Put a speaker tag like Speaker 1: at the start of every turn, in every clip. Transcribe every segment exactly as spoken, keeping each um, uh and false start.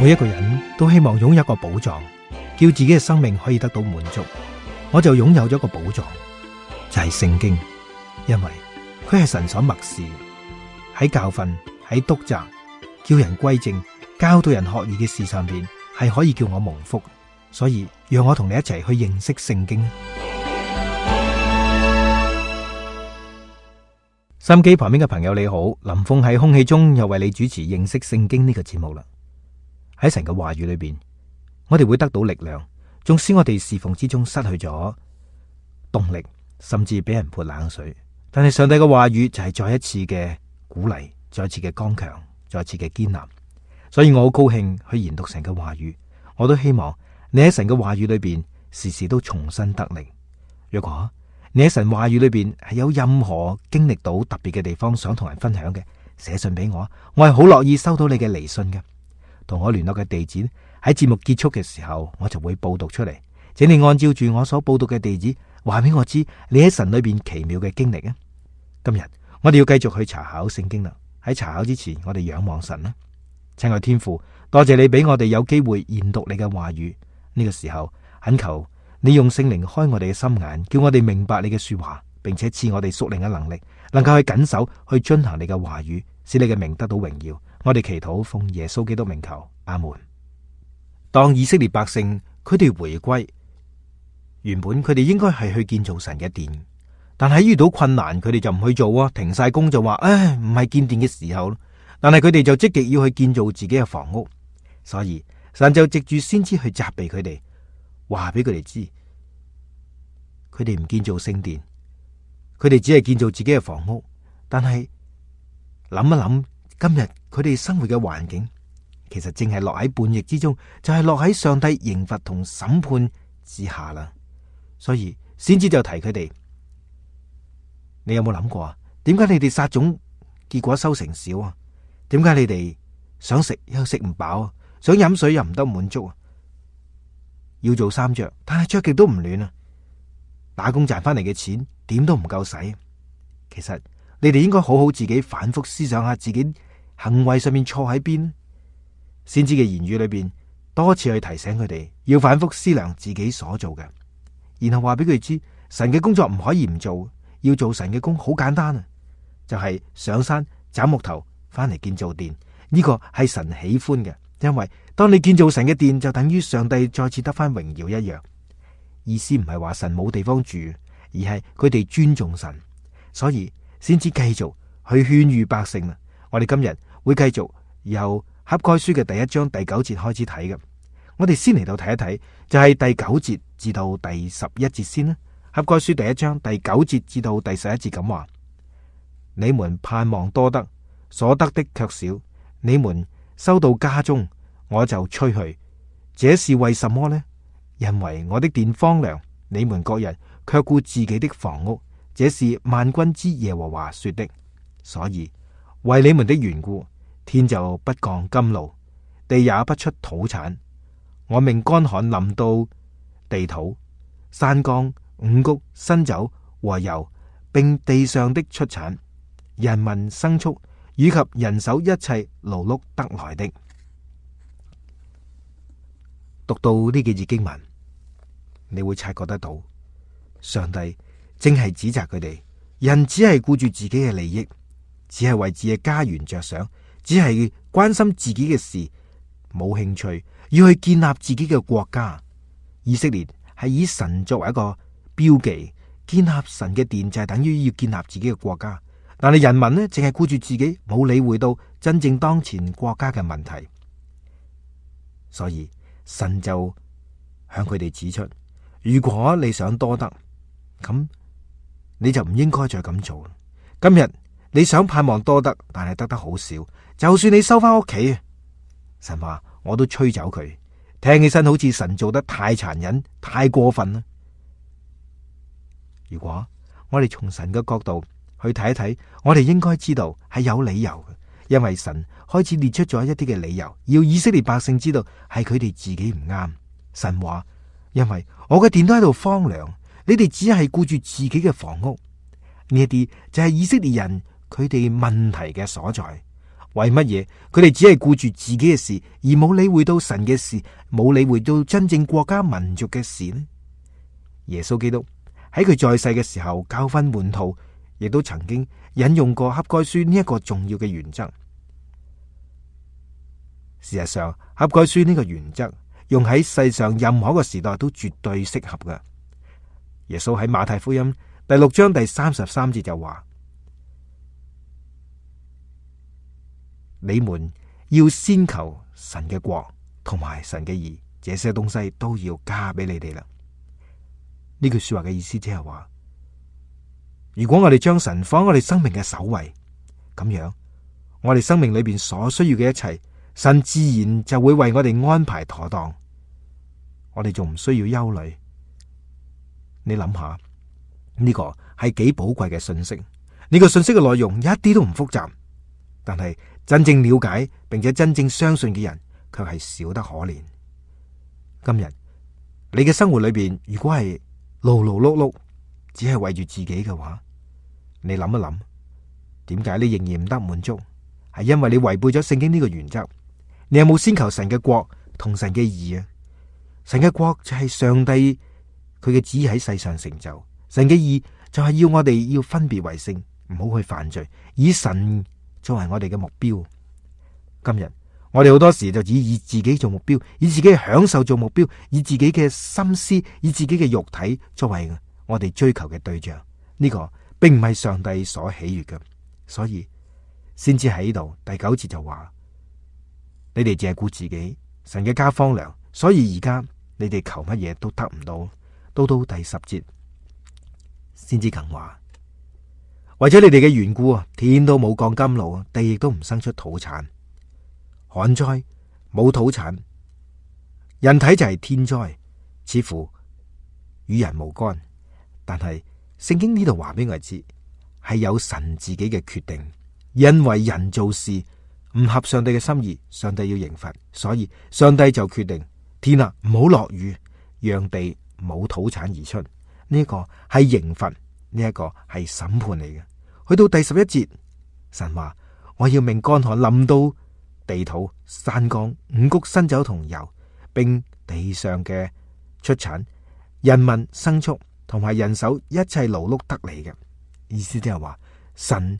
Speaker 1: 每一個人都希望擁有一個寶藏，叫自己嘅生命可以得到滿足。我就擁有咗一個寶藏，就係聖經，因為佢係神所默示，喺教訓、喺督責、叫人歸正、教導人學義嘅事上邊，係可以叫我蒙福。所以讓我同你一齊去認識聖經。收音機旁邊嘅朋友你好，林峰喺空氣中又為你主持認識聖經呢個節目啦。喺神嘅話語裏邊，我哋會得到力量，縱使我哋侍奉之中失去咗動力，甚至俾人潑冷水，但係上帝嘅話語就係再一次嘅鼓勵，再一次嘅剛強，再一次嘅堅立。所以我好高興去研讀神嘅話語，我都希望你喺神嘅話語裏邊時時都重新得力。如果你喺神話語裏邊係有任何經歷到特別嘅地方想同人分享嘅，寫信俾我，我係好樂意收到你嘅嚟信嘅。同我聯絡嘅地址喺節目結束嘅時候，我就會報讀出嚟，請你按照住我所報讀嘅地址話俾我知你喺神裏邊奇妙嘅經歷啊！今日我哋要繼續去查考聖經啦。喺查考之前，我哋仰望神啦。親愛天父，多謝你俾我哋有機會研讀你嘅話語。呢個時候懇求你用聖靈開我哋嘅心眼，叫我哋明白你嘅說話，並且賜我哋屬靈嘅能力，能夠去謹守去遵行你嘅話語，使你嘅名得到榮耀。我哋祈禱奉耶穌基督名求，阿門。當以色列百姓佢哋回歸，原本佢哋應該係去建造神嘅殿，但係遇到困難，佢哋就唔去做啊，停晒工就話，唉，唔係建殿嘅時候。但係佢哋就積極要去建造自己嘅房屋，所以神就藉住先知去責備佢哋，話俾佢哋知，佢哋唔建造聖殿，佢哋只係建造自己嘅房屋。但係諗一諗，今日佢哋生活嘅環境，其實正係落喺叛逆之中，就係落喺上帝刑罰同審判之下啦。所以先知就提佢哋，你有冇諗過啊？點解你哋撒種結果收成少啊？點解你哋想食又食唔飽啊？想飲水又唔得滿足啊？要做衫着，但係着極都唔暖啊！打工賺翻嚟嘅錢點都唔夠使。其實你哋應該好好自己反覆思想下自己行為上面錯喺邊。先知嘅言語裏邊多次去提醒佢哋要反覆思量自己所做嘅，然後話俾佢哋知神嘅工作唔可以唔做，要做神嘅工好簡單啊，就係上山斬木頭翻嚟建造殿。呢個係神喜歡嘅，因為當你建造神嘅殿，就等於上帝再次得翻榮耀一樣。意思唔係話神冇地方住，而係佢哋尊重神，所以先至繼續去勸喻百姓啦。我哋今日會繼續由哈該書嘅第一章第九節開始睇嘅。我哋先嚟到睇一睇，就係第九節至到第十一節先啦。哈該書第一章第九節至到第十一節咁話：你們盼望多得，所得的卻少；你們收到家中，我就吹去。這是為什麼呢？因為我的殿荒涼，你們各人卻顧自己的房屋。這是萬軍之耶和華說的。所以為你們的緣故，天就不降甘露，地也不出土產。我命乾旱臨到地土、山岡、五穀、新酒和油，並地上的出產、人民牲畜以及人手一切勞碌得來的。讀到呢幾節經文，你會察覺得到，上帝正係指責佢哋，人只係顧住自己嘅利益，只係為自己嘅家園着想，只係關心自己嘅事，冇興趣要去建立自己嘅國家。以色列係以神作為一個標記，建立神嘅殿就係等於要建立自己嘅國家。但係人民呢，淨係顧住自己，冇理會到真正當前國家嘅問題。所以神就向佢哋指出，如果你想多得，咁你就唔應該再咁做。今日你想盼望多得，但係得得好少，就算你收翻屋企，神話我都吹走佢。聽起身好似神做得太殘忍、太過分啦。如果我哋從神嘅角度去睇一睇，我哋應該知道係有理由嘅，因為神開始列出咗一啲嘅理由，要以色列百姓知道係佢哋自己唔啱。神話，因為我嘅殿都喺度荒涼，你哋只係顧住自己嘅房屋。呢一啲就係以色列人佢哋問題嘅所在。為乜嘢佢哋只係顧住自己嘅事，而冇理會到神嘅事，冇理會到真正國家民族嘅事呢？耶穌基督喺佢在世嘅時候教訓門徒，亦都曾經引用過哈該書呢一個重要嘅原則。事實上，哈該書呢個原則用喺世上任何一個時代都絕對適合㗎。耶穌喺馬太福音第六章第三十三節就話：你們要先求神嘅國同埋神嘅義，這些東西都要加俾你哋啦。呢句說話嘅意思即係話，如果我哋將神放喺我哋生命嘅首位，咁樣我哋生命裏邊所需要嘅一切，神自然就會為我哋安排妥當。我哋仲唔需要憂慮。你諗下，呢個係幾寶貴嘅信息。呢個信息嘅內容一啲都唔複雜，但係真正了解並且真正相信嘅人卻係少得可憐。今日你嘅生活裏邊，如果係勞勞碌碌，只係為住自己嘅話，你諗一諗，點解你仍然唔得滿足？係因為你違背咗聖經呢個原則。你有冇先求神嘅國同神嘅義啊？神嘅國就係上帝佢嘅旨意喺世上成就，神嘅義就係要我哋要分別為聖，唔好去犯罪，以神作為我哋嘅目標。今日我哋好多時就只以自己做目標，以自己嘅享受做目標，以自己嘅心思，以自己嘅肉體作為我哋追求嘅對象。呢個並唔係上帝所喜悅嘅，所以先至喺度第九節就話：你哋淨係顧自己，神嘅家荒涼，所以而家你哋求乜嘢都得唔到。到到第十節先至更話：為咗你哋嘅緣故啊，天都冇降甘露，地亦都唔生出土產。旱災冇土產，人體就係天災，似乎與人無干。但係聖經呢度話俾我哋知，係有神自己嘅決定，因為人做事唔合上帝嘅心意，上帝要刑罰，所以上帝就決定天啊，唔好落雨，讓地冇土產而出。呢一個係刑罰，呢一個係審判嚟嘅。去到第十一節，神話：我要命乾旱臨到地土、山岡、五穀、新酒同油，並地上嘅出產、人民、牲畜同埋人手一切勞碌得嚟嘅。意思即係話，神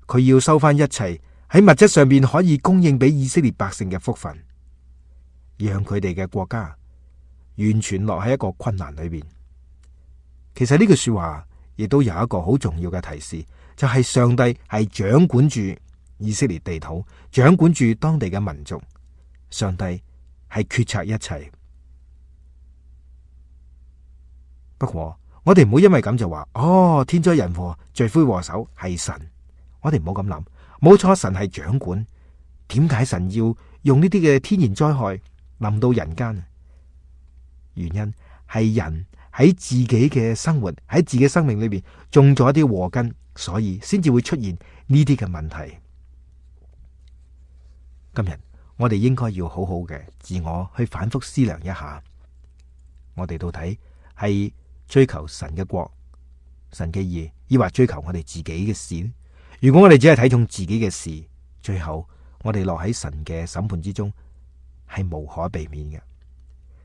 Speaker 1: 佢要收翻一切喺物質上邊可以供應俾以色列百姓嘅福分，讓佢哋嘅國家完全落喺一個困難裏邊。其實呢句說話亦都有一個好重要嘅提示，就係上帝係掌管住以色列地土，掌管住當地嘅民族。上帝係決策一切。不過我哋唔好因為咁就話，哦，天災人禍罪魁禍首係神。我哋唔好咁諗。冇錯，神係掌管。點解神要用呢啲嘅天然災害臨到人間？原因係人喺自己嘅生活，喺自己生命裏邊種咗一啲禍根，所以先至會出現呢啲嘅問題。今日我哋應該要好好嘅自我去反覆思量一下，我哋到底係追求神嘅國、神嘅義，抑或追求我哋自己嘅事呢？如果我哋只係睇重自己嘅事，最後我哋落喺神嘅審判之中，係無可避免嘅。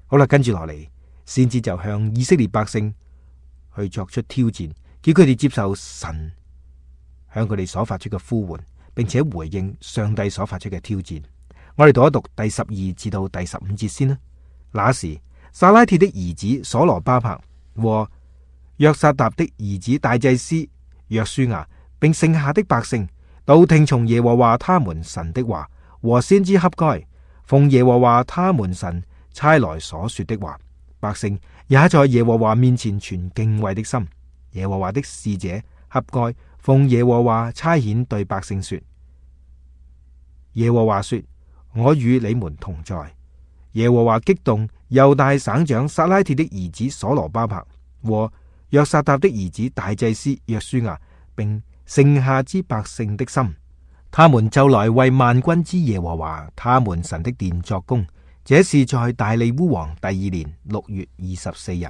Speaker 1: 好啦，跟住落嚟，先至就向以色列百姓去作出挑戰，叫佢哋接受神向佢哋所發出嘅呼喚，並且回應上帝所發出嘅挑戰。我哋讀一讀第十二至到第十五節先啦。那時，撒拉鐵的兒子所羅巴伯和約撒答的兒子大祭司約書亞，並剩下的百姓，都聽從耶和華他們神的話，和先知哈該奉耶和華他們神差來所說的話。百姓也在耶和華面前存敬畏的心。耶和華的使者哈該奉耶和華差遣對百姓說：耶和華說，我與你們同在。耶和華激動猶大省長撒拉鐵的兒子所羅巴伯和約撒答的兒子大祭司約書亞，並剩下之百姓的心，他們就來為萬軍之耶和華他們神的殿作工。這是在大利烏王第二年六月二十四日。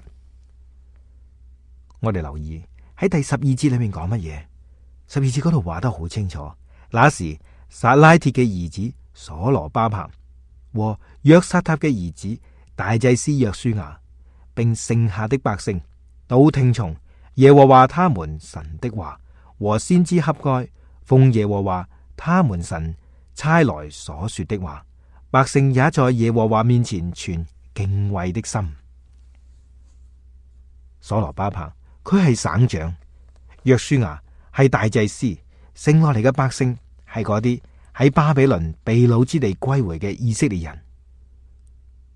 Speaker 1: 我哋留意喺第十二節裏面講乜嘢？十二節嗰度話得好清楚。那時撒拉鐵嘅兒子所羅巴伯和約撒塔嘅兒子大祭司約書亞，並剩下的百姓，都聽從耶和華他們神的話和先知哈該奉耶和華他們神差來所說的話。百姓也在耶和華面前存敬畏的心。所羅巴伯佢係省長，約書亞係大祭司，剩落嚟嘅百姓係嗰啲喺巴比倫被擄之地歸回嘅以色列人。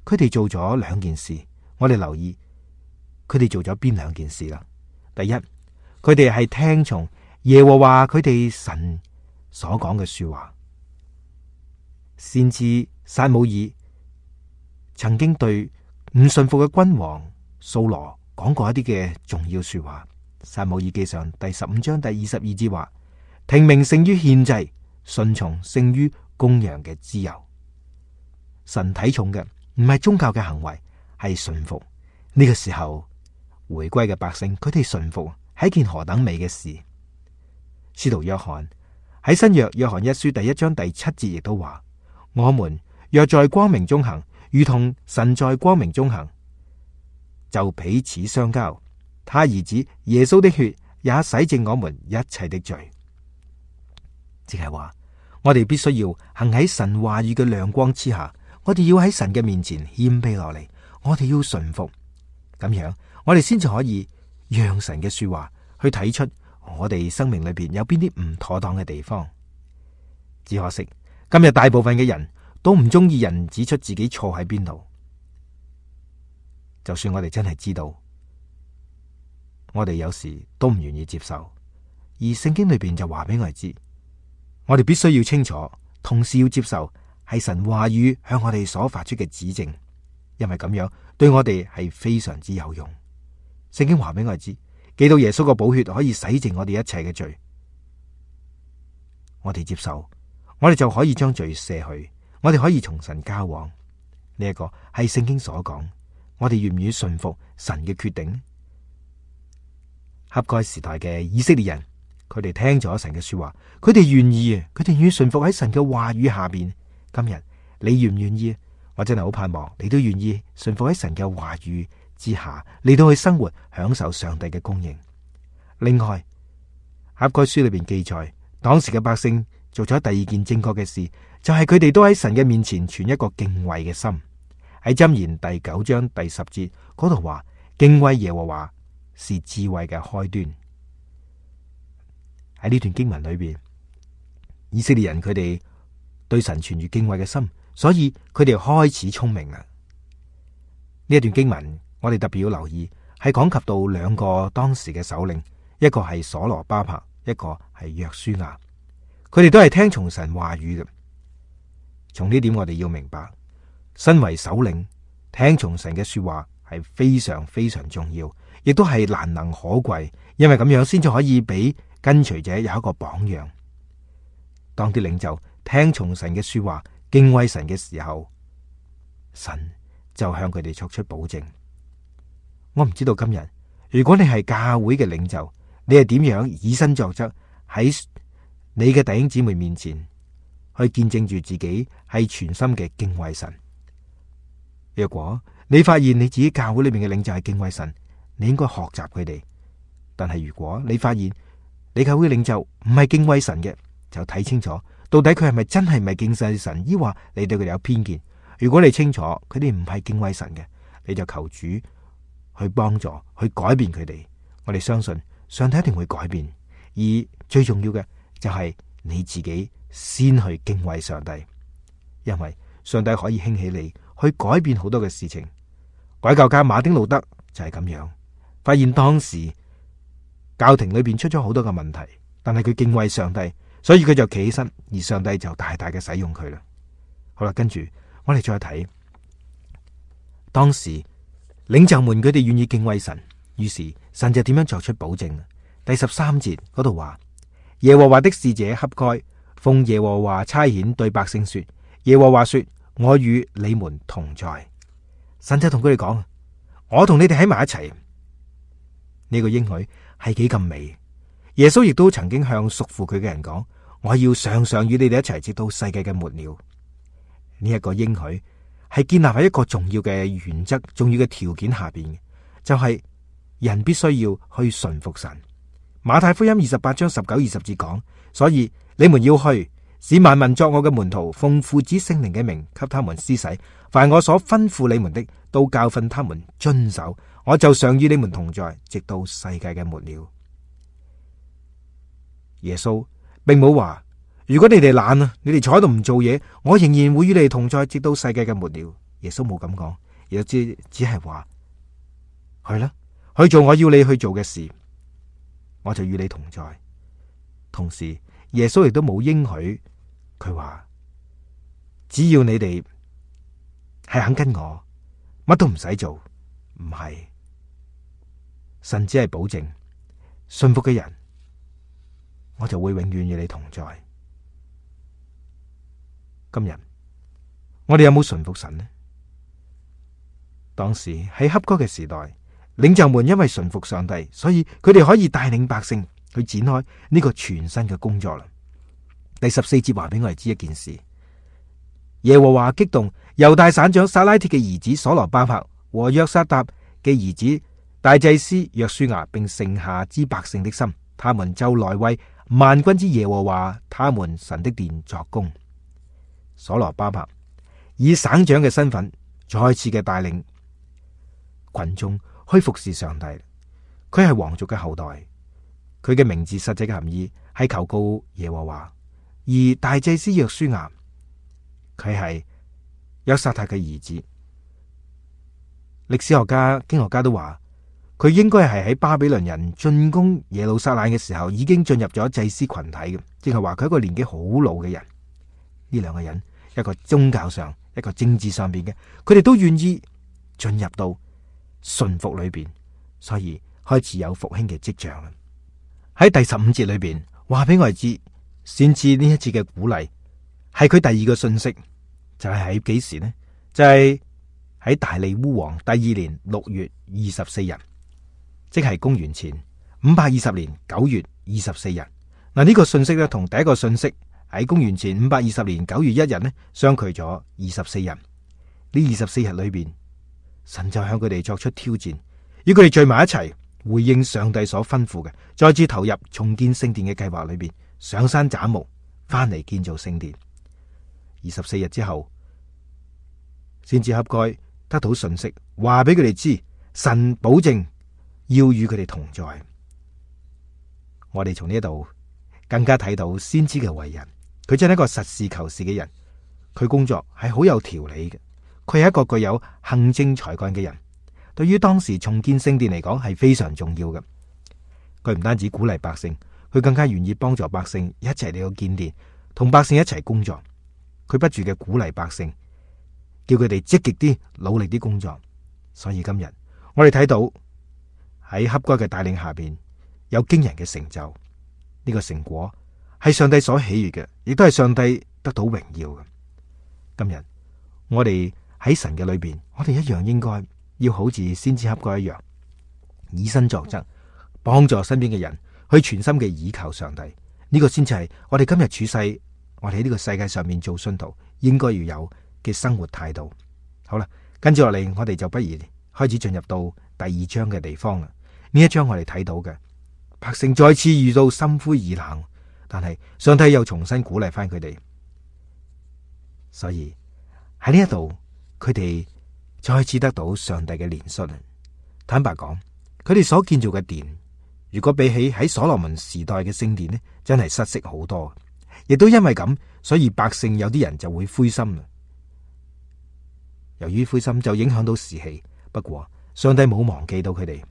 Speaker 1: 佢哋做咗兩件事，我哋留意佢哋做咗邊兩件事啦。第一，佢哋係聽從耶和華佢哋神所講嘅說話。先知撒母耳曾經對唔順服嘅君王掃羅講過一啲嘅重要說話。撒母耳記上第十五章第二十二節話：聽命勝於獻祭，順從勝於公羊嘅脂油。神睇重嘅唔係宗教嘅行為，係順服。呢個時候回歸嘅百姓，佢哋順服係一件何等美嘅事。使徒約翰喺新約約翰一書第一章第七節亦都話：我們若在光明中行，如同神在光明中行，就彼此相交。他兒子耶穌的血也洗淨我們一切的罪。即係話，我哋必須要行喺神話語嘅亮光之下，我哋要喺神嘅面前謙卑落嚟，我哋要順服，咁樣我哋先至可以讓神嘅說話去睇出我哋生命裏邊有邊啲唔妥當嘅地方。只可惜今日大部分嘅人都唔中意人指出自己錯喺邊度，就算我哋真係知道，我哋有時都唔願意接受。而聖經裏邊就話俾我哋知，我哋必須要清楚，同時要接受係神話語向我哋所發出嘅指正，因為咁樣對我哋係非常之有用。聖經話俾我哋知，基督耶穌個寶血可以洗淨我哋一切嘅罪，我哋接受，我哋就可以將罪卸去，我哋可以從神交往。呢一個係聖經所講，我哋願唔願意順服神嘅決定？哈該時代嘅以色列人，佢哋聽咗神嘅說話，佢哋願意啊，佢哋願意順服喺神嘅話語下邊。今日你願唔願意？我真係好盼望你都願意順服喺神嘅話語之下，嚟到去生活，享受上帝嘅供應。另外，哈該書裏邊記載，當時嘅百姓做咗第二件正確嘅事，就係佢哋都喺神嘅面前存一個敬畏嘅心。喺箴言第九章第十節嗰度話：敬畏耶和華是智慧嘅開端。喺呢段經文裏邊，以色列人佢哋對神存住敬畏嘅心，所以佢哋開始聰明啦。呢一段經文我哋特別要留意，係講及到兩個當時嘅首領，一個係所羅巴伯，一個係約書亞。佢哋都係聽從神話語嘅。從呢點我哋要明白，身為首領聽從神嘅說話係非常非常重要，亦都係難能可貴，因為咁樣先至可以俾跟隨者有一個榜樣。當啲領袖聽從神嘅說話，敬畏神嘅時候，神就向佢哋作出保證。我唔知道今日如果你係教會嘅領袖，你係點樣以身作則喺你嘅弟兄姊妹面前去見證住自己係全心嘅敬畏神。若果你發現你自己教會裏面嘅領袖係敬畏神，你應該學習佢哋。但係如果你發現你教會領袖唔係敬畏神嘅，就睇清楚到底佢係咪真係唔係敬畏神，抑或你對佢哋有偏見。如果你清楚佢哋唔係敬畏神嘅，你就求主去幫助去改變佢哋。我哋相信上帝一定會改變，而最重要嘅就係你自己先去敬畏上帝，因為上帝可以興起你去改變好多嘅事情。改教家馬丁路德就係咁樣，發現當時教廷裏邊出咗好多嘅問題，但係佢敬畏上帝，所以佢就企起身，而上帝就大大嘅使用佢啦。好啦，跟住我哋再睇當時領袖們佢哋願意敬畏神，於是神就點樣作出保證。第十三節嗰度話：耶和華的使者哈該奉耶和華差遣對百姓說，耶和華說，我與你們同在。神就同佢哋講：我同你哋喺埋一齊。呢個應許係幾咁美。耶穌亦都曾經向屬乎佢嘅人講：我要常常與你哋一齊，直到世界嘅末了。呢、這、一個應許係建立喺一個重要嘅原則、重要嘅條件下邊嘅，就係、是、人必須要去順服神。馬太福音二十八章十九二十節講，所以你們要去，使萬民作我嘅門徒，奉父子聖靈嘅名給他們施洗，凡我所吩咐你們的，都教訓他們遵守，我就常與你們同在，直到世界嘅末了。耶穌並冇話，如果你哋懶啊，你哋坐喺度唔做嘢，我仍然會與你哋同在，直到世界嘅末了。耶穌冇咁講，亦只只係話去啦，去做我要你去做嘅事，我就與你同在。同時，耶穌亦都冇應許，佢話只要你哋係肯跟我，乜都唔使做。唔係，神只係保證信服嘅人，我就會永遠與你同在。今日我哋有冇順服神呢？當時喺恰該嘅時代，領袖們因為順服上帝，所以佢哋可以帶領百姓去展開呢個全新嘅工作啦。第十四節話俾我哋知一件事：耶和華激動猶大省長撒拉鐵嘅兒子所羅巴伯和約沙達嘅兒子大祭司約書亞，並剩下之百姓的心，他們就來為萬軍之耶和華他們神的殿作工。所羅巴伯以省長嘅身份再次嘅帶領群眾去服侍上帝。佢係皇族嘅後代，佢嘅名字實際嘅含義係求告耶和華。而大祭司約書亞，佢係約沙塔嘅兒子。歷史學家、經學家都話，佢應該係喺巴比倫人進攻耶路撒冷嘅時候，已經進入咗祭司群體嘅，即係話佢係一個年紀好老嘅人。呢兩個人，一個宗教上，一個政治上邊嘅，佢哋都願意進入到順服裏邊，所以開始有復興嘅跡象啦。喺第十五節裏邊話俾我哋知，先知呢一次嘅鼓勵係佢第二個信息，就係喺幾時呢？就係、是、喺大利烏王第二年六月二十四日，即係公元前五百二十年九月二十四日。嗱，呢個信息咧，同第一個信息喺公元前五百二十年九月一日呢，相距咗二十四日。呢二十四日裏邊，神就向佢哋作出挑戰，要佢哋聚埋一齊，回應上帝所吩咐嘅，再次投入重建聖殿嘅計劃裏邊，上山斬木，翻嚟建造聖殿。二十四日之後，先至恰該得到信息，話俾佢哋知，神保證要與佢哋同在。我哋從呢度更加睇到先知嘅為人，佢真係一個實事求是嘅人，佢工作係好有條理嘅，佢係一個具有行政才幹嘅人。對於當時重建聖殿嚟講係非常重要嘅。佢唔單止鼓勵百姓，佢更加願意幫助百姓一齊嚟到建殿，同百姓一齊工作。佢不住嘅鼓勵百姓，叫佢哋積極啲、努力啲工作。所以今日我哋睇到喺恰該嘅帶領下邊，有驚人嘅成就。呢個成果係上帝所喜悅嘅，亦都係上帝得到榮耀嘅。今日我哋喺神嘅裏邊，我哋一樣應該要好似先知恰該一樣，以身作則，幫助身邊嘅人去全心嘅倚靠上帝。呢個先至係我哋今日處世，我哋喺呢個世界上面做信徒應該要有嘅生活態度。好啦，跟住落嚟，我哋就不如開始進入到第二章嘅地方啦。呢一章我哋睇到嘅百姓再次遇到心灰意冷，但係上帝又重新鼓勵翻佢哋。所以喺呢一度，佢哋再次得到上帝嘅憐恤。坦白講，佢哋所建造嘅殿，如果比起喺所羅門時代嘅聖殿呢，真係失色好多。亦都因為咁，所以百姓有啲人就會灰心啦。由於灰心就影響到士氣，不過上帝冇忘記到佢哋，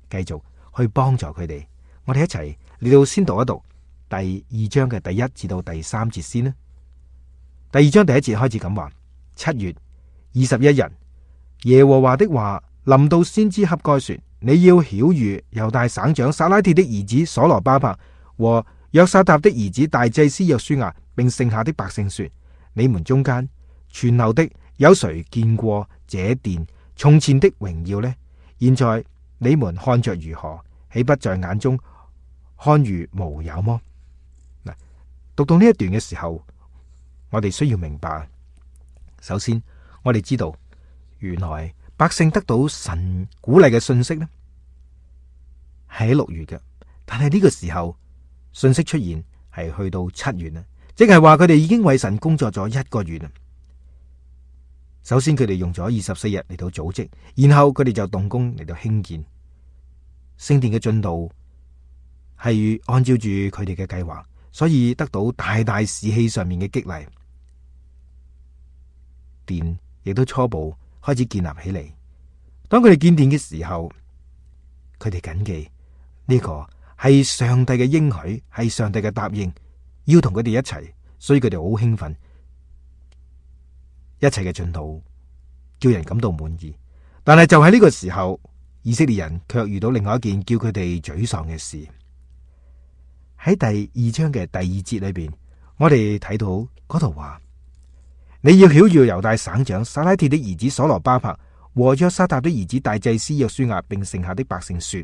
Speaker 1: 繼續去幫助佢哋。我哋一齊嚟到先讀一讀第二章嘅第一至到第三節先啦。第二章第一節開始咁話：七月二十一日，耶和華的話臨到先知恰該說：你要曉諭猶大省長撒拉鐵的兒子所羅巴伯和約沙達的兒子大祭司約書亞，並剩下的百姓說：你們中間存留的有誰見過這殿從前的榮耀呢？現在你們看着如何？豈不在眼中看如無有麼？嗱，讀到呢一段嘅時候，我哋需要明白，首先我哋知道，原來百姓得到神鼓勵嘅信息呢，係喺六月嘅，但係呢個時候信息出現係去到七月啦，即係話佢哋已經為神工作咗一個月啦。首先佢哋用咗二十四日嚟到組織，然後佢哋就動工嚟到興建聖殿嘅進度，係按照住佢哋嘅計劃，所以得到大大士氣上面嘅激勵。殿亦都初步開始建立起嚟。當佢哋建殿嘅時候，佢哋謹記呢個係上帝嘅應許，係上帝嘅答應，要同佢哋一齊，所以佢哋好興奮。一切嘅進度叫人感到滿意，但係就喺呢個時候，以色列人卻遇到另外一件叫佢哋沮喪嘅事。喺第二章嘅第二節裏邊，我哋睇到嗰度話：你要曉諭猶大省長撒拉鐵的兒子所羅巴伯和約沙達的兒子大祭司約書亞，並剩下的百姓說，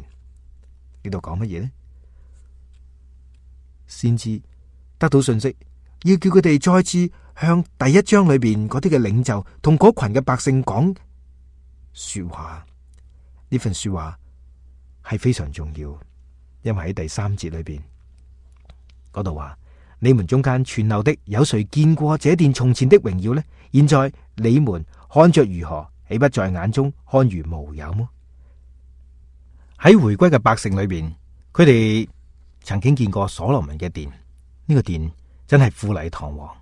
Speaker 1: 呢度講乜嘢呢？先知得到信息，要叫佢哋再次向第一章裏邊嗰啲嘅領袖同嗰群嘅百姓講說話。呢份說話係非常重要，因為喺第三節裏邊嗰度話：你們中間存留的有誰見過這殿從前的榮耀呢？現在你們看着如何，豈不在眼中看如無有麼？喺回歸嘅百姓裏邊，佢哋曾經見過所羅門嘅殿，呢個殿真係富麗堂皇，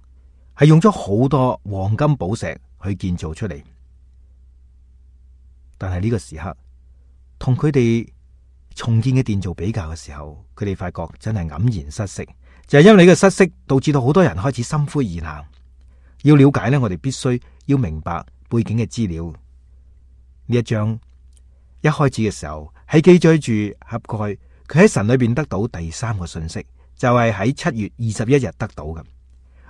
Speaker 1: 係用咗好多黃金寶石去建造出嚟。但係呢個時刻，同佢哋重建嘅殿做比較嘅時候，佢哋發覺真係黯然失色。就係因為呢個失色，導致到好多人開始心灰意冷。要了解呢，我哋必須要明白背景嘅資料。呢一章一開始嘅時候，係記載住哈該佢喺神裏邊得到第三個信息，就係喺七月二十一日得到嘅。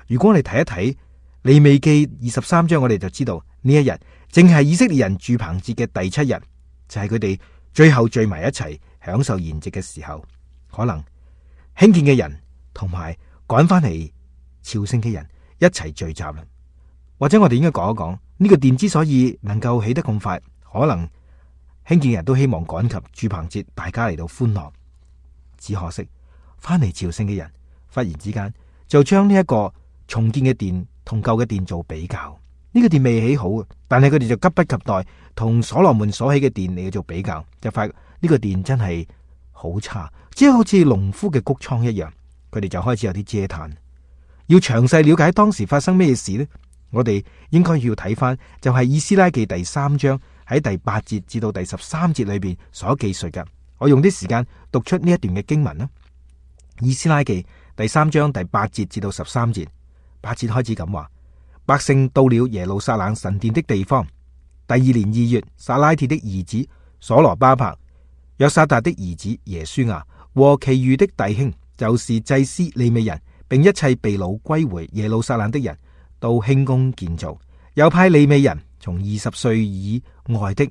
Speaker 1: 如果我哋睇一睇利未記二十三章，我哋就知道呢一日正係以色列人住棚節嘅第七日，就係佢哋最後聚埋一齊享受筵席嘅時候。可能興建嘅人同埋趕翻嚟朝聖嘅人一齊聚集啦。或者我哋應該講一講呢個殿之所以能夠起得咁快，可能興建人都希望趕及住棚節，大家嚟到歡樂。只可惜翻嚟朝聖嘅人忽然之間就將呢一個重建嘅殿同舊嘅殿做比較。呢個殿未起好，但係佢哋就急不及待同所羅門所起嘅殿嚟做比較，就發覺呢個殿真係好差，即係好似農夫嘅谷倉一樣。佢哋就開始有啲嗟嘆。要詳細了解當時發生咩事呢？我哋應該要睇翻就係以斯拉記第三章喺第八節至到第十三節裏邊所記述嘅。我用啲時間讀出呢一段嘅經文啦。以斯拉記第三章第八節至到十三節，八節開始咁話：百姓到了耶路撒冷神殿的地方，第二年二月，撒拉鐵的兒子所羅巴伯、約沙達的兒子耶書亞和其餘的弟兄，就是祭司利未人，並一切被擄歸回耶路撒冷的人，都興工建造，又派利未人從二十歲以外的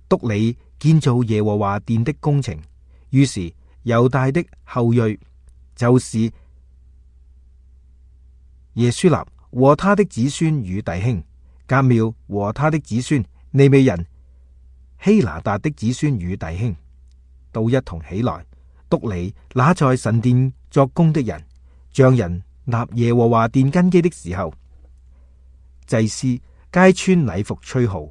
Speaker 1: 督理建造耶和華殿的工程。於是猶大的後裔，就是耶書立和他的子孫與弟兄，革妙和他的子孫，利未人希拿達的子孫與弟兄，都一同起來督理那在神殿作工的人。匠人立耶和華殿根基的時候，祭司皆穿禮服吹號。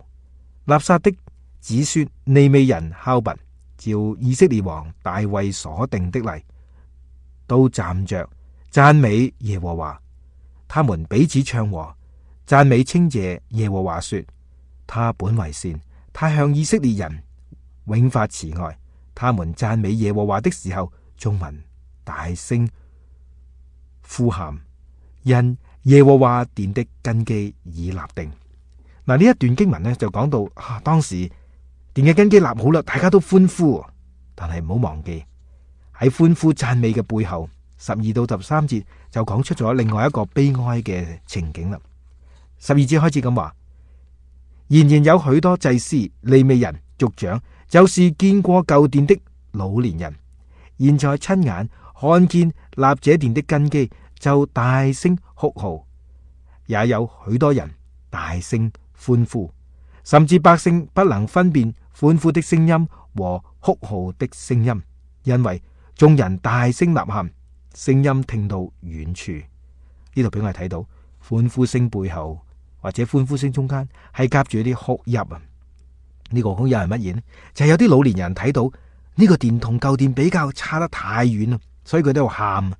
Speaker 1: 納撒的子孫利未人敲鈸，照以色列王大衛所定的例，都站着讚美耶和華。他們彼此唱和，讚美稱謝耶和華，說：他本為善，他向以色列人永發慈愛。他們讚美耶和華的時候，眾民大聲呼喊，因耶和華殿的根基已立定。嗱，呢一段經文呢就講到啊，當時殿嘅根基立好啦，大家都歡呼。但係唔好忘記喺歡呼讚美嘅背後，十二到十三節就講出咗另外一個悲哀嘅情景啦。十二節開始咁話：然然有許多祭司、利未人、族長，就是見過舊殿的老年人，現在親眼看見立這殿的根基，就大聲哭號，也有許多人大聲歡呼，甚至百姓不能分辨歡呼的聲音和哭號的聲音，因為眾人大聲吶喊，聲音聽到遠處。呢度俾我哋睇到歡呼聲背後或者歡呼聲中間係夾住一啲哭泣啊！呢個哭泣係乜嘢呢？就係有啲老年人睇到呢個殿同舊殿比較差得太遠啦，所以佢都喺度喊。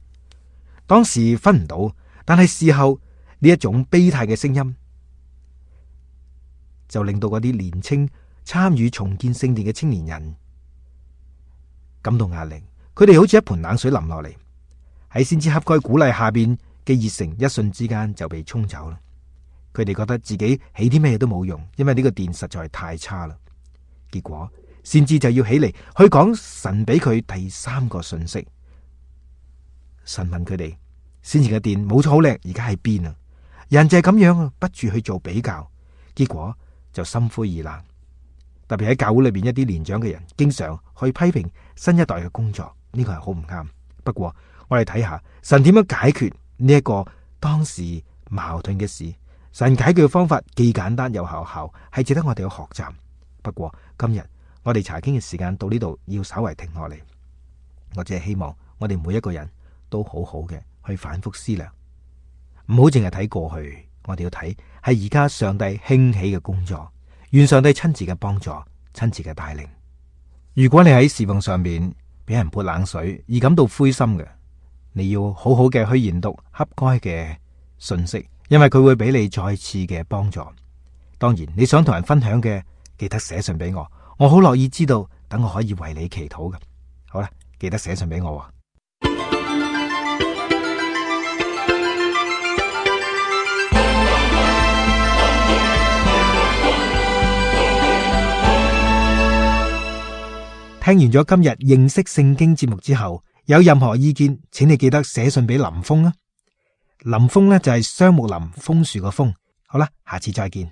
Speaker 1: 當時分唔到，但係事後呢一種悲嘆嘅聲音，就令到嗰啲年青參與重建聖殿嘅青年人感到壓力。佢哋好似一盆冷水淋落嚟，喺先知哈該鼓勵下邊嘅熱誠一瞬之間就被沖走啦。佢哋覺得自己起啲咩都冇用，因為呢個殿實在係太差啦。結果先知就要起嚟去講神俾佢第三個信息。神問佢哋：先前嘅殿冇錯好靚，而家喺邊啊？人就係咁樣啊，不住去做比較，結果就心灰意冷。特別喺教會裏邊一啲年長嘅人，經常去批評新一代嘅工作，呢個係好唔啱。不過我哋睇下神點樣解決呢一個當時矛盾嘅事。神解決嘅方法既簡單又有效，係值得我哋去學習。不過今日我哋查經嘅時間到呢度，要稍微停落嚟。我只係希望我哋每一個人都好好嘅去反覆思量，唔好淨係睇過去，我哋要睇係而家上帝興起嘅工作。願上帝親自嘅幫助，親自嘅帶領。如果你喺侍奉上面俾人潑冷水而感到灰心嘅，你要好好嘅去研讀哈該嘅信息，因為佢會俾你再次嘅幫助。當然你想同人分享嘅，記得寫信俾我，我好樂意知道，等我可以為你祈禱嘅。好啦，記得寫信俾我。聽完咗今日認識聖經節目之後，有任何意見，請你記得寫信俾林峰啊。林峰呢就係雙木林楓樹個楓。好啦，下次再見。